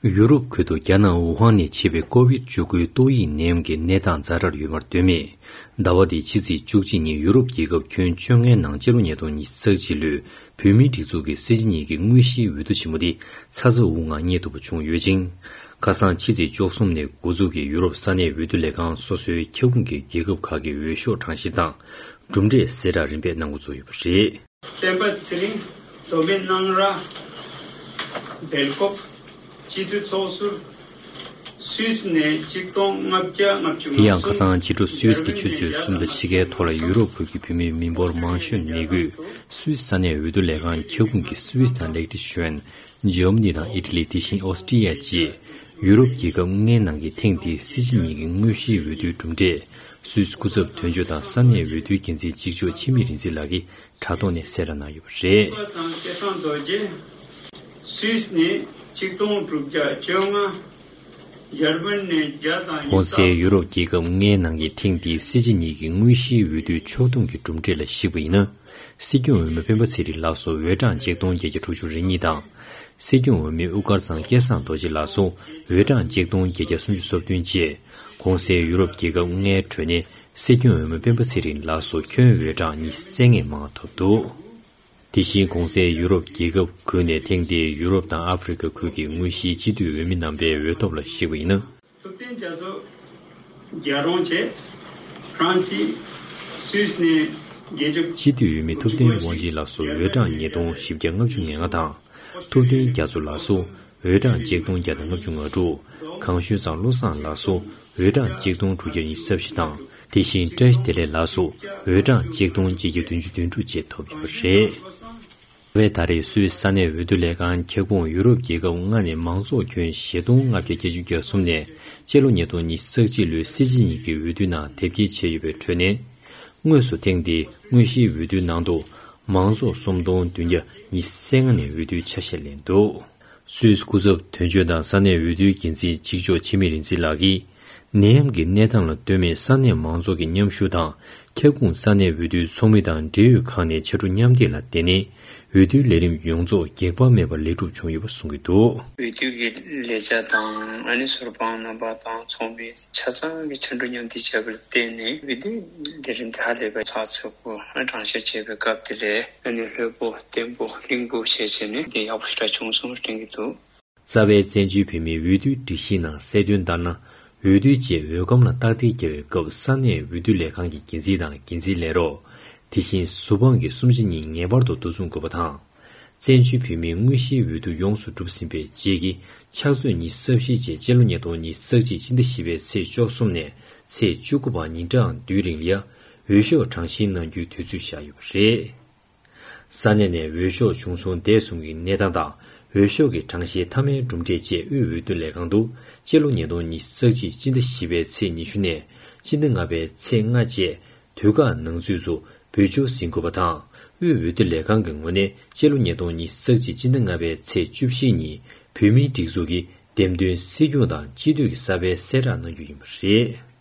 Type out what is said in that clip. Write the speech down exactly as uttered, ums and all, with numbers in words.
ཡུ་རོབ་ཁུལ་དུ་རྒྱ་ནག་ཝུ་ཧན་ནས་མཆེད་པའི་ཀོ་བིད་བཅུ་དགུའི་ཏོག་དབྱིབས་ནད་ཡམས་ཀྱི་གནས་སྟངས་ཛ་དྲག་ཡོད་པར་སྟོན་མེད། ཟླ་བ་འདིའི་ཕྱི་ཚེས་བཅུ་གཅིག་ཉིན་ཡུ་རོབ་རྒྱལ་ཁབ་ཁྱོན་བཅོ་ལྔའི་ནང་སྤྱི་ལོ་ཉིས་སྟོང་ཉི་ཤུ་རྩ་གཅིག་ལོའི་བོད་མིའི་སྒྲིག་འཛུགས་ཀྱི་སྲིད་སྤྱི་གཉིས་ཀྱི་དངོས་གཞིའི་འོས་བསྡུ་ཆེན་མོ་འདི་ཚ་ཚ་འུར་འུར་ངང་སྙན་ཐོར་བུ་བྱུང་ཡོད་ཅིང་། ཁ་སང་ཕྱི་ཚེས་བཅུ་གསུམ་ནས་འགོ་འཛུགས་ཀྱིས་ཡུ་རོབ་ས་གནས་འོས་བསྡུ་ལས་ཁང་སོ་སོའི་ཁྱབ་ཁོངས་ཀྱི་རྒྱལ་ཁབ་ཁག་གི་འོས་ཤོག་གྲངས་བཤེར་དང་གྲུབ་འབྲས་གསལ་བསྒྲགས་རིམ་པས་གནང་འགོ་བཙུགས་ཡོད་པ་རེད། སྤེན་པ་ཚེ་རིང་། མདོ་སྨད་སྣང་ར། སྦེལ་ཀོབ། སྤྱི་འཐུས་ཚོགས་ཟུར། སུད་སི་ནས་གཅིག་སྟོང་ལྔ་བརྒྱ་ལྔ་བཅུ་ང་གསུམ། དེ་ཡང་ཁ་སང་ཕྱི་དྲོ་སུད་སི་གི་ཆུ་ཚོད་གསུམ་དང་ཕྱེད་ཀའི་ཐོག་ལ་ཡུ་རོབ་ཁུལ་གྱི་བོད་མི་མི་འབོར་མང་ཤོས་གནས་ཁུལ་སུད་སི་ས་གནས་འོས་བསྡུ་ལས་ཁང་ཁྱབ་ཁོངས་ཀྱི་སུད་སི་དང་ལེག་ཏི་ཤོན། འཇར་མ་ནི་དང་ཨི་ཊ་ལི། དེ་བཞིན་ཨོ་སི་ཀྲི་ཡ་བཅས་ཡུ་རོབ་རྒྱལ་ཁབ་ལྔའི་ནང་གི་ཐེངས་འདིའི་སྲིད་སྤྱི་གཉིས་ཀྱི་དངོས་གཞིའི་འོས་བསྡུའི་གྲུབ་འབྲས་སུད་སི་སྐུ་ཚབ་དོན་གཅོད་དང་ས་གནས་འོས་བསྡུའི་འགན་འཛིན་གཅིག་ལྕོགས་འཆི་མེད་རིག་འཛིན་ལགས་ཀྱིས་དྲ་ཐོག་ནས་གསལ་བསྒྲགས་གནང་ཡོད་པ་རེད། ཚང་སྐལ་བཟང་རྡོ་རྗེ། སུད་སི་ནས་ཆིག་སྟོང་དྲུག་བརྒྱ་བཅོ་ལྔ། འཇར་པན་ནས་བརྒྱ་དང་གོང་གསལ་ཡུ་རོབ་རྒྱལ་ཁབ་ལྔའི་ནང་གི་ཐེངས་འདིའི་སྲིད་སྤྱི་གཉིས་ཀྱི་དངོས་གཞིའི་འོས་བསྡུའི་ཕྱོགས་བསྡོམས་ཀྱི་གྲུབ་འབྲས་ལ་གཞིགས་པ་ཡིན་ན། སྲིད་སྐྱོང་འོས་མི་སྤེན་པ་ཚེ་རིང་ལགས་སུ་འོས་གྲངས་ཆིག་སྟོང་བརྒྱད་བརྒྱ་དྲུག་ཅུ་རེ་གཉིས་དང་། སྲིད་སྐྱོང་འོས་མི་དབུ་དཀར་ཚང་སྐལ་བཟང་རྡོ་རྗེ་ལགས་སུ་འོས་གྲངས་ཆིག་སྟོང་བརྒྱད་བརྒྱ་སུམ་ཅུ་སོ་བདུན་བཅས་གོང་གསལ་ཡུ་རོབ་རྒྱལ་ཁབ་ལྔའི་ཁྲོད་ནས་སྲིད་སྐྱོང་འོས་མི་སྤེན་པ་ཚེ་རིང་ལགས་སུ་ཁྱོན་འོས་གྲངས་ཉི་ཤུ་རྩ་ལྔས་མང་བ་ཐོབ་འདུག་དེ་བཞིན་གོང་གསལ་ཡུ་རོབ་རྒྱལ་ཁབ་ཁུལ་ནས་ཐེངས་འདིའི་ཡུ་རོབ་དང་ཨ་ཧྥེ་རི་ཁ་ཁུལ་གྱི་དངོས་གཞིའི་སྤྱི་འཐུས་འོས་མི་རྣམ་པའི་འོས་ཐོབ་ལ་གཞིགས་པ་ཡིན་ན། ཐུབ་བསྟན་རྒྱ་མཚོ་རྒྱལ་རོང་བཅས་ཧྥ་རན་སི། སུད་སི་ནས་རྒྱལ་ཁབ། སྤྱི་འཐུས་འོས་མི་ཐུབ་བསྟན་དབང་ཆེན་ལགས་སུ་འོས་གྲངས་ཉིས་སྟོང་བཞི་བརྒྱ་ལྔ་བཅུ་ང་ལྔ་དང་། ཐུབ་བསྟན་རྒྱ་མཚོ་ལགས་སུ་འོས་གྲངས་ཆིག་སྟོང་བརྒྱ་དང་ལྔ་བཅུ་ང་དྲུག་གངས་ཤུལ་ཚང་བློ་བཟང་ལགས་སུ་འོས་གྲངས་ཆིག་སྟོང་དྲུག་བརྒྱ་ཉི་ཤུ་རྩ་བཞི་དང་། དེ་བཞིན་བཀྲ་ཤིས་བདེ་ལེགས་ལགས་སུ་འོས་གྲངས་ཆིག་སྟོང་གཅིག་བརྒྱ་བདུན་ཅུ་དོན་དྲུག་བཅས་ཐོབ་ཡོད་པ་རེད། ཟླ་བའི་ད་རེས་སུད་སི་ས་གནས་འོས་བསྡུ་ལས་ཁང་ཁྱབ་ཁོངས་ཡུ་རོབ་རྒྱལ་ཁབ་ལྔ་ནས་མང་ཚོགས་ཁྱོན་བཞི་སྟོང་ལྔ་བརྒྱ་བརྒྱད་ཅུ་གྱ་གསུམ་ནས་སྤྱི་ལོ་ཉིས་སྟོང་ཉི་ཤུ་རྩ་གཅིག་ལོའི་སྲིད་སྤྱི་གཉིས་ཀྱི་འོས་བསྡུའི་ནང་དེབ་སྐྱེལ་བྱས་ཡོད་པའི་ཁྲོད་ནས། དངོས་སུ་ཐེངས་འདིའི་དངོས་གཞིའི་འོས་བསྡུའི་ནང་དུ་མང་ཚོགས་སུམ་སྟོང་བདུན་བརྒྱ་ཉི་ཤུ་རྩ་ལྔ་ནས་འོས་བསྡུའི་ཆ་ཤས་ལེན་འདུག་སུད་སི་སྐུ་ཚབ་དོན་གཅོད་དང་ས་གནས་འོས་བསྡུའི་འགན་འཛིན་གཅིག་ལྕོགས་འཆི་མེད་རིག་འཛིན་ལགས་ཀྱིས། ནད་ཡམས་ཀྱི་གནས་སྟངས་ལ་ལྟོས་མེད་ས་གནས་མང་ཚོགས་ཀྱི་མཉམ་ཞུགས་དང་། ཁྱབ་ཁོངས་ས་གནས་འོས་བསྡུའི་ཚོགས་མི་དང་འབྲེལ་ཡོད་ཁག་ནས་ཕྱར་གྲུ་མཉམ་འདེགས་ལ་བརྟེན་ནས། འོས་བསྡུའི་ལས་རིམ་ཡོངས་རྫོགས་འགྱེག་པ་མེད་པར་ལེགས་གྲུབ་བྱུང་ཡོད་པ་གསུང་གི་འདུག་འོས་བསྡུ་གི་ལས་བྱ་དང་ཨ་ནི་ཟུར་དཔང་རྣམ་པ་དང་ཚོགས་མི་ཆ་ཚང་གི་ཕྱར་གྲུ་མཉམ་འདེགས་བྱས་པར་བརྟེན་ནས་འོས་བསྡུའི་ལས་རིམ་དེ་ཧ་ལས་པའི་ཚགས་ཚུད་པོ་གྲངས་བཤེར་བྱེད་པའི་སྐབས་དེ་ལས་ཨ་ནི་ལྷོད་པོ་བརྟན་པོ་བརླིང་པོ་བྱས་བྱས་ནས་དེ་ཡག་པོ་ཞེ་དྲག་བྱུང་སོང་དྲན་གྱི་འདུག་རྩ་བའི་བཙན་བྱོལ་བོད་མིའི་འོས་བསྡུའི་སྒྲིག་གཞིའི་ནང་གསལ་དོན་ལྟར་ན། འོས་བསྡུའི་རྗེས་འོས་སྒམ་ལ་རྟགས་མཐིལ་རྒྱག་པའི་སྐབས་ས་གནས་འོས་བསྡུ་ལས་ཁང་གི་འགན་འཛིན་དང་འགན་འཛིན་ལས་རོགས། དེ་བཞིན་ཟུར་དཔང་གི་གསུམ་ཆ་གཉིས་ངེས་པར་དུ་འདུ་འཛོམས་དགོས་པ་དང་། བཙན་བྱོལ་བོད་མིའི་དངོས་གཞིའི་འོས་བསྡུ་ཡོངས་སུ་གྲུབ་ཟིན་པའི་རྗེས་ཀྱི་ཕྱག་ཚོད་ཉི་ཤུ་རྩ་བཞི་རྗེས་སྤྱི་ལོ་ཉིས་སྟོང་ཉི་ཤུ་རྩ་གཅིག་སྤྱི་ཟླ་བཞི་པའི་ཚེས་བཅུ་གསུམ་ནས་ཚེས་བཅུ་དགུ་བར་ཉིན་གྲངས་བདུན་རིང་ལ་ཡ་འོས་ཤོག་གྲངས་བཤེར་གནང་རྒྱུའི་དུས་ཚོད་བཞག་ཡོད་པ་རེད། ས་གནས་ནས་འོས་ཤོག་བྱུང་སོང་འདས་གསུམ་གྱི་གནས་སྟངས་དང་། འོས་ཤོག་གི་གྲངས་བཤེར་མཐའ་མའི་གྲུབ་འབྲས་བཅས་དབུས་འོས་བསྡུ་ལས་ཁང་དུ་སྤྱི་ལོ་ཉིས་སྟོང་ཉི་ཤུ་རྩ་གཅིག་སྤྱི་ཟླ་བཞི་པའི་ཚེས་ཉི་ཤུ་ནས་སྤྱི་ཟླ་ལྔ་པའི་ཚེས་ལྔ་བཅས་དུས་བཀག་ནང་ཚུད་དུ་འབུལ་ཕྱོགས་ཟིན་དགོས་པ་དང་། དབུས་འོས་བསྡུ་ལས་ཁང་གི་ངོས་ནས་སྤྱི་ལོ་ཉིས་སྟོང་ཉི་ཤུ་རྩ་གཅིག་སྤྱི་ཟླ་ལྔ་པའི་ཚེས་བཅུ་བཞི་ཉིན་བོད་མིའི་སྒྲིག་འཛུགས་ཀྱི་འདེམས་ཐོན་སྲིད་སྐྱོང་དང་སྤྱི་འཐུས་ཀྱི་གསར་པའི་གསལ་བསྒྲགས་གནང་རྒྱུ་ཡིན་པ་རེད།